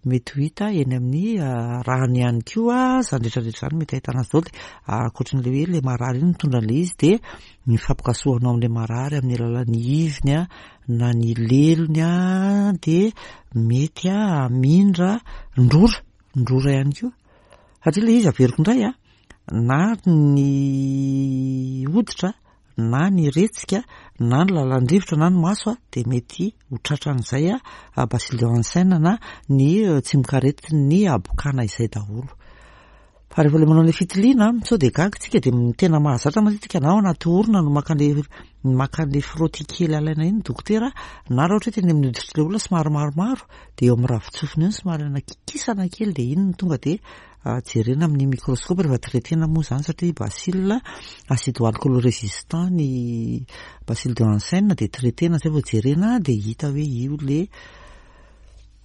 Speaker 1: mety ho hita eny amin'ny rano ihany koa, izany rehetrarehetra izany mety ahitana azy daholo. Dia ankoatran'ilay hoe ilay marary iny mitondra an'ilay izy dia ny fampikasohanao amin'ilay marary amin'ny alalan'ny iviny a, na ny lelony a, dia mety a hamindra ny rora, ny rora ihany koa. Satria ilay izy averiko indray a, na ny hoditra na ny retsika na ny lalan-drivotra na ny maso a, dia mety ho tratran'izay a bacille de Hansen na ny tsimokaretin'ny habokana izay daholo. Fa rehefa ilay manao ilay fitiliana, sao dia gaga tsika dia ny tena mahazatra matetika na ao anaty orona no maka an'ilay, maka an'ilay frottis kely alaina iny dokotera, na raha ohatra hoe teny amin'ny hoditr'ilay olona somary maromaro, dia eo amin'ny ravin-tsofina eo somary alaina kikisana kely dia iny no tonga dia jerena amin'ny microscope rehefa traitena moa izany, satria bacille acido-alcoolo résistant ny bacille de Hansen dia traitena zay vao jerena dia hita hoe io le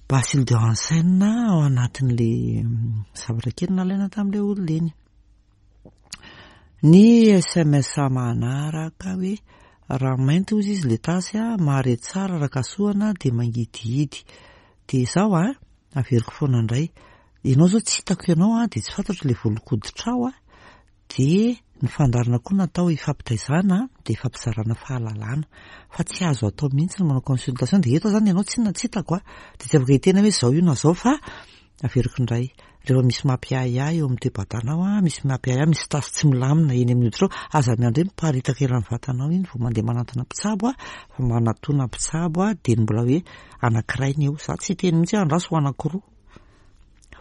Speaker 1: bacille de Hansen ao anatin'le zavatra kely nalaina tamin'ilay olona iny. Ny S M S manaraka hoe raha mainty hozy izy le tasy a, mahare tsara raha kasohana dia mangidihidy. Dia izao a, averiko foana indray. Ianao izao tsy hitako ianao a, dia tsy fantatro ilay volon-koditrao a, dia ny fandaharana koa natao hifampitaizana dia hifampizarana fahalalana. Fa tsy azo atao mihitsy ny manao consultation, dia eto izany ianao tsy na tsy hitako a, dia tsy afaka hiteny hoe izao io na izao fa averiko indray. Rehefa misy mampiahiahy eo amin'ny toe-batanao a, misy mampiahiahy, misy tasy tsy milamina eny amin'ny hoditrao, aza miandry hoe miparitaka eran'ny vatanao iny vao mandeha manantona mpitsabo a, fa manatona mpitsabo a, dia ny mbola hoe anankiray ny eo. Za tsy hiteny mihitsy hoe andraso ho anankiroa.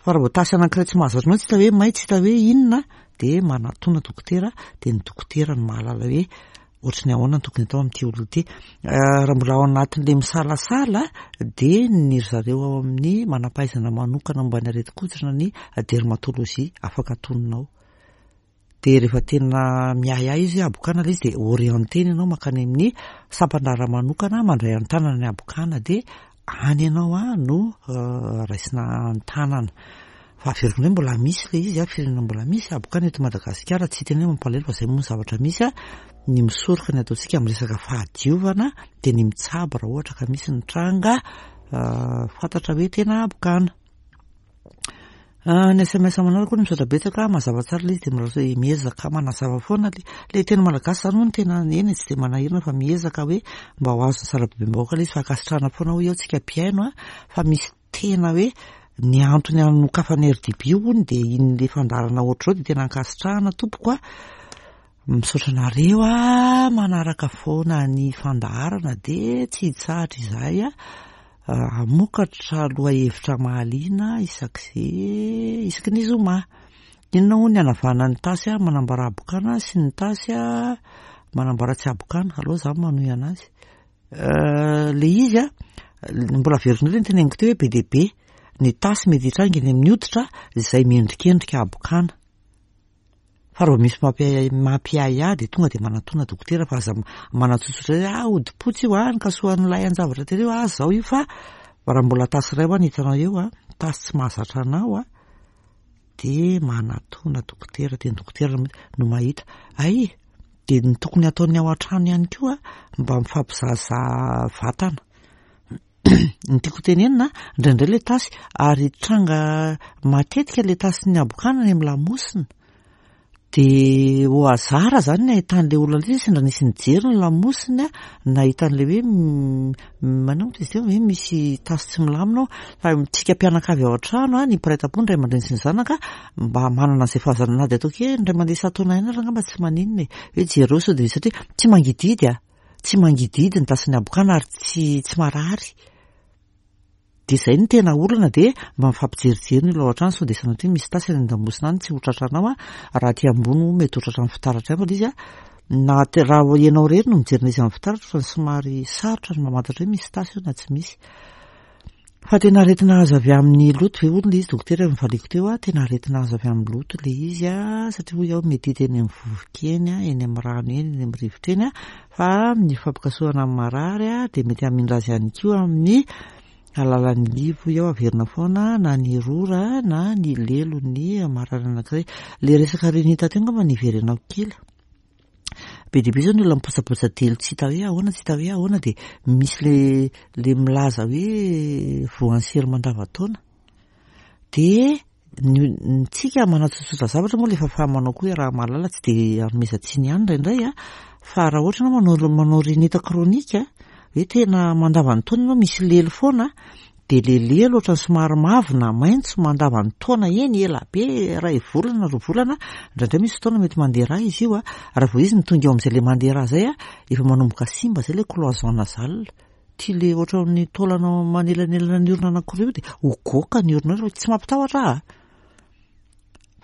Speaker 1: Fa raha vao tasy anankiray tsy mahazatra anao, tsy hita hoe may, tsy hita hoe inona, dia manatona dokotera, dia ny dokotera no mahalala hoe ohatry ny ahoana no tokony atao amin'ity olona ity. Raha mbola ao anatin'ilay misalasala, dia ny ry zareo ao amin'ny manam-pahaizana manokana momba ny aretin-koditra ny dermatologie afaka atoninao. Dia rehefa tena miahiahy izy hoe habokana ilay izy, dia orientena ianao mankany amin'ny sampan-draharaha manokana mandray an-tanana ny habokana, dia any ianao a no raisina an-tanana. Fa averiko indray mbola misy ilay izy a, firenena mbola misy habokana eto Madagasikara, tsy hiteny hoe mampalahelo fa izay moa ny zavatra misy a. Ny misoroka ny ataontsika amin'ny resaka fahadiovana dia ny mitsabo raha ohatra ka misy ny tranga fantatra hoe tena habokana. Ny S M S manaraka koa ny misaotra betsaka, mazava tsara ilay izy dia mbola hoe miezaka manazava foana ilay, ilay teny malagasy izany moa no tena eny tsy dia manahirana fa miezaka hoe mba ho azon'ny sarababem-bahoaka ilay izy fa ankasitrahana foana hoy aho tsika mpihaino a, fa misy tena hoe ny antony anokafan'ny R D B hono dia iny ilay fandaharana ohatr'izao dia tena ankasitrahana tompoko a. Misaotra anareo a, manaraka foana ny fandaharana dia tsy hitsahatra izahay a, hamokatra lohahevitra mahaliana isak'izay, isaky ny zoma. Inona hono ny hanavahana ny tasy a, manambara habokana sy ny tasy a, manambara tsy habokana? Aleo za manohy anazy. Le izy a, mbola averiko indray ny teneniko teo hoe be dia be ny tasy mety hitranga eny amin'ny hoditra izay miendrikendrika habokana. Fa raha misy mampiahiahy, mampiahiahy dia tonga dia manatona dokotera fa aza manatsotsotra hoe, ah, hodi-potsy io, ah, nikasohan'ilay an-javatra tery io, ah, zao io, fa raha mbola tasy iray ho any hitanao eo, ah, tasy tsy mahazatra anao, ah, dia manatona dokotera, dia ny dokotera no mahita. Ay, dia ny tokony ataony ao an-trano ihany koa, mba mifampizahazaha vatana. Ny tiako tenenina, indraindray ilay tasy, ary tranga matetika ilay tasy ny habokana any amin'ny lamosina. Dia au hasard zany ny ahitan'ilay olona ilay izy, sendra nisy nijery ny lamosiny, nahita an'ilay hoe m-, manao moa izy teo hoe misy tasy tsy milamina ao. Fa tsika mpianakavy ao an-trano, ny mpiray tampo, ny ray aman-dreny sy ny zanaka, mba manana an'izay fahazarana na dia ataoko hoe indray mandeha isan-taona ihany ary angamba tsy maninona e. Hoe jereo sao dia satria tsy mangidihidy a, tsy mangidihidy ny tasin'ny habokana ary tsy, tsy marary. Dia izay no tena olana, dia mba mifampijerijery ny olona ao an-trano sao dia sanatria misy tasy any an-damosina any tsy ho tratranao a, raha aty ambony moa mety ho tratran'ny fitaratra ihany fa ilay izy a, na te-, raha ianao irery no mijery an'izy amin'ny fitaratra fa somary sarotra ny mamantatra hoe misy tasy eo na tsy misy. Fa tena aretina azo avy amin'ny loto ve hono ilay izy dokotera novaliko teo a, tena aretina azo avy amin'ny loto ilay izy a, satria hoy aho mety hita eny amin'ny vovoka eny a, eny amin'ny rano eny, eny amin'ny rivotra eny a, fa ny fampikasohana amin'ny marary a dia mety hamindra azy ihany koa amin'ny alalan'ny livo eo averina foana na ny rora na ny lelon'ny marary anankiray. Ilay resaka renita teo angamba ny hiverenako kely. Be dia be izao ny olona mipotsapotsa delo tsy hita hoe ahoana, tsy hita hoe ahoana, dia misy le, le milaza hoe voan'ny sery mandavantaona. Dia ny, ny tsika manatsotsotra zavatra moa ilay fahafaha-manao koa hoe raha mahalala tsy dia anomezan-tsiny ihany indraindray a, fa raha ohatra ianao manao, manao rinita kronika hoe tena mandavantaona ianao misy lelo foana, dia le lelo ohatran'ny somary mavo na maitso mandavantaona eny ela be, iray volana, roa volana, indraindray misy fotoana mety mandeha rà izy io a, raha vao izy no tonga eo amin'izay le mandeha rà izay a, efa manomboka simba izay le cloison nasale. Ty le ohatran'ny taolana manelanelana ny orona anankiroa io dia ho goaka ny orona io, tsy mampitahotra ahy a.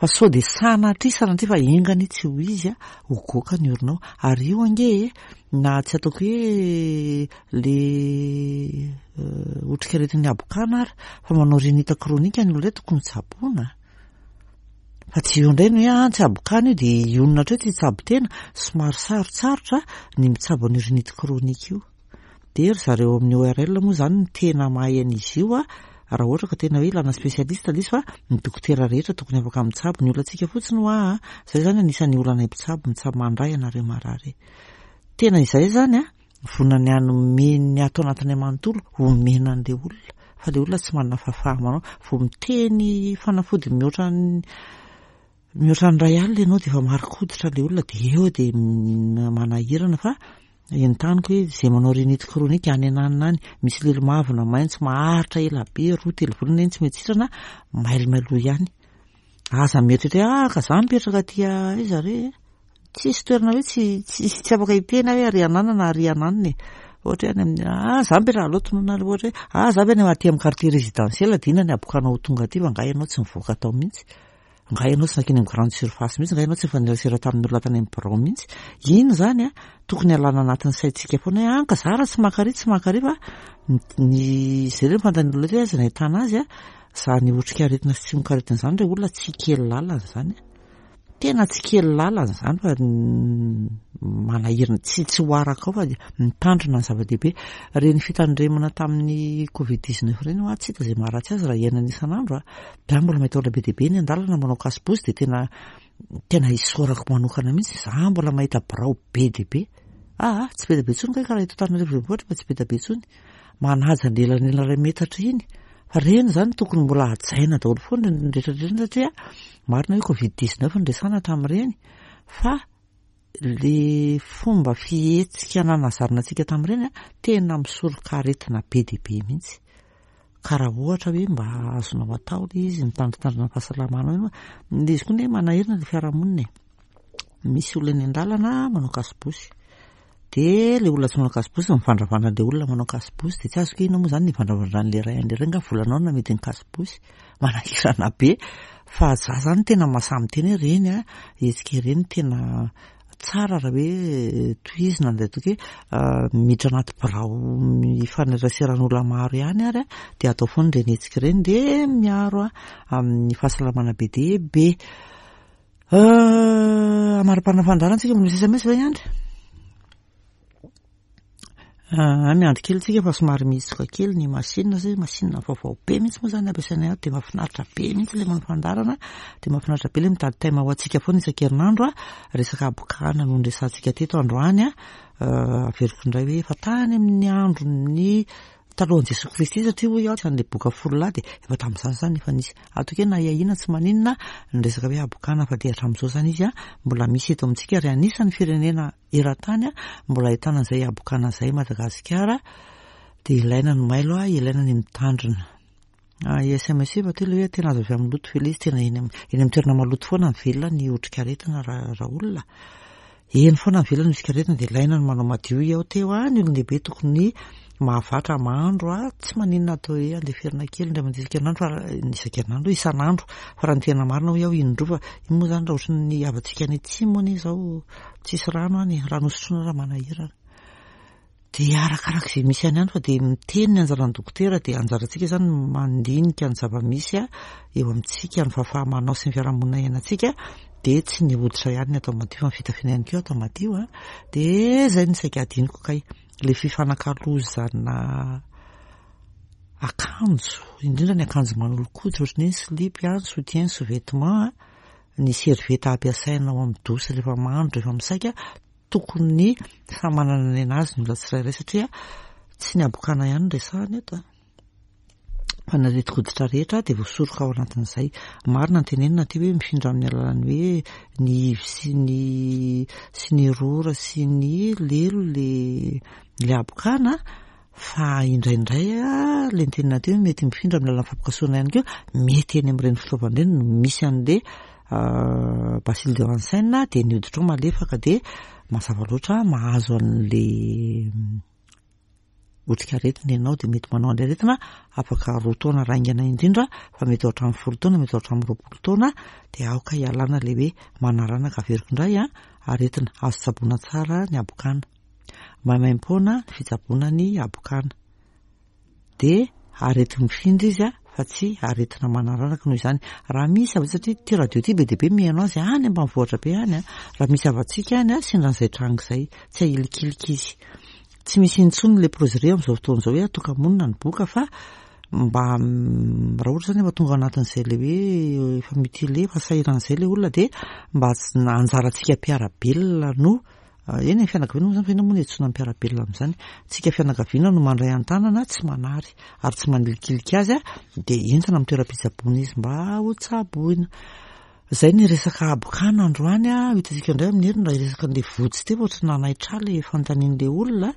Speaker 1: Fa sao dia sanatria, sanatria fa enga anie tsy ho izy a, ho goaka ny oronao. Ary io ange e, na tsy ataoko hoe le, euh, otrikaretin'ny habokana ary, fa manao rinita kronika ny olona tokony tsaboina. Fa tsy io indray no hoe, ah, tsy habokana io dia hionona hatreo tsy hitsabo tena, somary sarotsarotra ny mitsabo an'io rinite kronika io. Dia ry zareo amin'ny O R L moa izany no tena mahay an'izy io a, Raha ohatra ka tena hoe ilana spécialiste ilay izy, fa ny dokotera rehetra tokony afaka mitsabo. Ny olantsika fotsiny hoa, zay zany anisan'ny olanay mpitsabo, mitsabo mandray anareo marary. Tena izay zany a, vonona ny hanome ny ato anatinay manontolo homena an'ilay olona, fa ilay olona tsy manana fahafaha-manao. Vao miteny fanafody mihoatra ny mihoatra ny iray alina ianao dia efa mari-koditra ilay olona, dia eo dia manahirana. Fa entaniko hoe izay manao rhinite chronique any ananona any, misy lelo mavo na maitso maharitra ela be, roa telo volana eny tsy mety sitrana, mailomailoa ihany. Aza mieritreritra hoe ah ka za mipetraka aty aiza re, tsisy toerana hoe tsy tsy tsy afaka hiteny aho hoe ary ananana na ary ananona e. Ohatra hoe any amin'ny ah za mipetraka aloha tonona ohatra hoe ah za ve any aty amin'ny quartier résidentiel, dia inona ny habokanao ho tonga aty fa angaha ianao tsy mivoaka tao mihitsy, angaha ianao tsy nankeny amin'ny grande surface mihitsy, angaha ianao tsy nifanerasera tamin'ny olona tany amin'ny birao mihitsy. Iny zany a tokony alana anatin'ny saintsika foana hoe ah ka za raha tsy makary tsy makary, fa ny zay re fantany olona hoe aiza no ahitana azy a, zany otrikaretina sy tsimokaretina zany re olona tsy kely lalana zany, tena tsy kely lalana zany, fa manahirana tsy tsy ho araka ao, fa mitandrina ny zava-dehibe. Reny fitandremana tamin'ny covid dix-neuf ireny hoa tsy hita izay maharatsy azy raha iainana isan'andro a. Za mbola mahita olona be dia be ny an-dalana manao kasibosy, dia tena tena isaorako manokana mihitsy. Za mbola mahita birao be dia be, ah tsy be dia be intsony kay karaha eto Antananarivo renivohitra, fa tsy be dia be intsony manaja ny elanelana iray metatra iny. Fa reny zany tokony mbola hajaina daholo foana ny rehetrarehetra, satria marina hoe covid dix-neuf no resahana tamin'ireny, fa le fomba fihetsika nanazarina antsika tamin'ireny a tena misoroka aretina be dia be mihitsy. Ka raha ohatra hoe mba azonao atao ilay izy mitandritandrina ny fahasalamanao iny, ilay izy koa ne manahirana ilay fiarahamonina e. Misy olona eny an-dalana manao kasibosy, dia ilay olona tsy manao kasibosy mivandravandra an'ilay olona manao kasibosy, dia tsy azoko hoe inona moa zany ny ivandravandran'ilay ray an'ilay ray, nga volanao no namidy ny kasibosy. Manahirana be, fa za zany tena mahasahy miteny hoe ireny a hetsika ireny tena tsara raha hoe tohizina, an'ilay ataoko hoe miditra anaty birao mifaneraseran'olona maro ihany ary a, dia atao foana ireny hetsika ireny, dia miaro a amin'ny fahasalamana be dia be. Amara-parana fandaharana tsika, mbola misy S M S ve Andry? Ah, miandry kely tsika fa somary mihitsoka kely ny machine, satria machine vaovao be mihitsy moa zany ampiasainay ato, dia mahafinaritra be mihitsy ilay manao fandaharana, dia mahafinaritra be ilay mitady thème ho antsika foana isan-kerinandro a. Resaka habokana no niresahantsika teto androany a. Averiko indray hoe efa tany amin'ny andron'ny talohan'i Jesoa Kristy, satria hoy aho an'ilay boka folo lahy dia efa tamin'izany zany efa nisy ataoko hoe na ahiahiana tsy maninona ny resaka hoe habokana, fa dia hatramin'izao zany izy a mbola misy eto amintsika, ary anisan'ny firenena eran-tany a mbola ahitana an'izay habokana izay Madagasikara. Dia ilaina ny mailo a, ilaina ny mitandrina. S M S efa teo ilay hoe tena azo avy amin'ny loto ve ilay izy, tena eny amin'ny eny amin'ny toerana maloto foana mivelona ny otrikaretina raha raha olona. Eny foana mivelona ny otrikaretina, dia ilaina ny manao madio aho teo a, ny olon-dehibe tokony mahavatra mandro a, tsy maninona atao hoe andeferina kely indray mandeha isan-kerinandro, fa isan-kerinandro isan'andro, fa raha ny tena marina hoy aho indroa, fa iny moa zany raha ohatry ny havantsika any atsimo anie izao tsisy rano any, rano hosotroina raha manahirana. Dia arakaraka izay misy any ihany, fa dia miteny ny anjaran'ny dokotera, dia anjarantsika zany mandinika ny zava-misy a eo amintsika, ny fahafaha-manao sy ny fiarahamonina iainantsika, dia tsy ny hoditra ihany ny atao madio fa ny fitafiana ihany koa atao madio a. Dia izay no saika adinoko kay, ilay fifanakalozana akanjo, indrindra ny akanjo manolo-koditra ohatran'ny hoe ny slip a, ny soutien, ny sous-vêtement a, ny serviette ampiasaina ao amin'ny douche rehefa mandro, rehefa misaika, tokony samy manana ny anazy ny olona tsirairay, satria tsy ny habokana ihany no resahana eto a, fa ny aretin-koditra rehetra dia voasoroka ao anatin'izay. Marina ny tenenina aty hoe mifindra amin'ny alalan'ny hoe ny ivy sy ny sy ny rora sy ny lelo le le habokana, fa indraindray a le nitenenina teo hoe mety mifindra amin'ny alalan'ny fampikasohana ihany koa, mety eny amin'ireny fitaovana ireny no misy an'le bacille de Hansen, dia ny hoditra ao malefaka, dia mazava loatra mahazo an'le otrikaretina ianao, dia mety manao an'ilay aretina afaka roa taona raingana indrindra, fa mety ho hatramin'ny folo taona, mety ho hatramin'ny roapolo taona. Dia aoka hialana ilay hoe manaranaka. Averiko indray a, aretina azo tsaboina tsara ny habokana, maimaimpoana ny fitsaboana ny habokana, dia areti-mifindra izy a fa tsy aretina manaranaka. Noho izany raha misy avy, satria ity radio ity be dia be mihaino azy any ambanivohitra be any a, raha misy havantsika any a sendra an'izay tranga izay, tsy ahilikilika izy, tsy misy intsony leprozerie amin'izao fotoana izao hoe atoka-monina ny boka, fa mba raha ohatra zany efa tonga anatin'izay le hoe efa mutilé, efa sahiran'izay le olona, dia mba anjarantsika mpiara-belona no eny, fianakaviana moa zany, fa ina moa no iantsoana ny mpiara-belona amin'izany, tsika fianakaviana no mandray an-tanana, tsy manary ary tsy manilikilika azy a, dia entina amin'ny toeram-pitsaboana izy mba ho tsaboina. Zay ny resaka habokana androany a. Hitantsika indray amin'ny heriny raha hiresaka an'le votsy teo, ohatry nanaitra le fanontanian'le olona.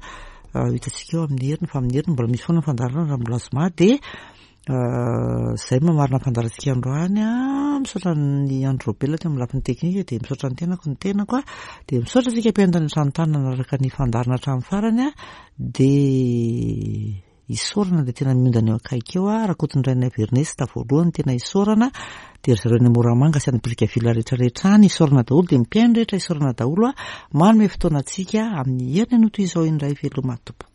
Speaker 1: Hitantsika eo amin'ny heriny, fa amin'ny heriny mbola misy foana ny fandaharana raha mbola zoma. Dia zay mamarina ny fandaharantsika androany a. Misaotra ny Andro Robela teo amin'ny lafiny teknika, dia misaotra ny tenako ny tenako a, dia misaotra antsika mpihaino tany an-trano tany nanaraka ny fandaharana hatramin'ny farany a. Dia isaorana dia tena miondana eo akaiky eo a, Rakotondrainay Ernest voalohany tena isaorana, dia ry zareo any Moramanga sy any Brickaville rehetrarehetra any isaorana daholo, dia mpihaino rehetra isaorana daholo a, manome fotoana antsika amin'ny heriny anio toy izao indray. Veloma tompoko.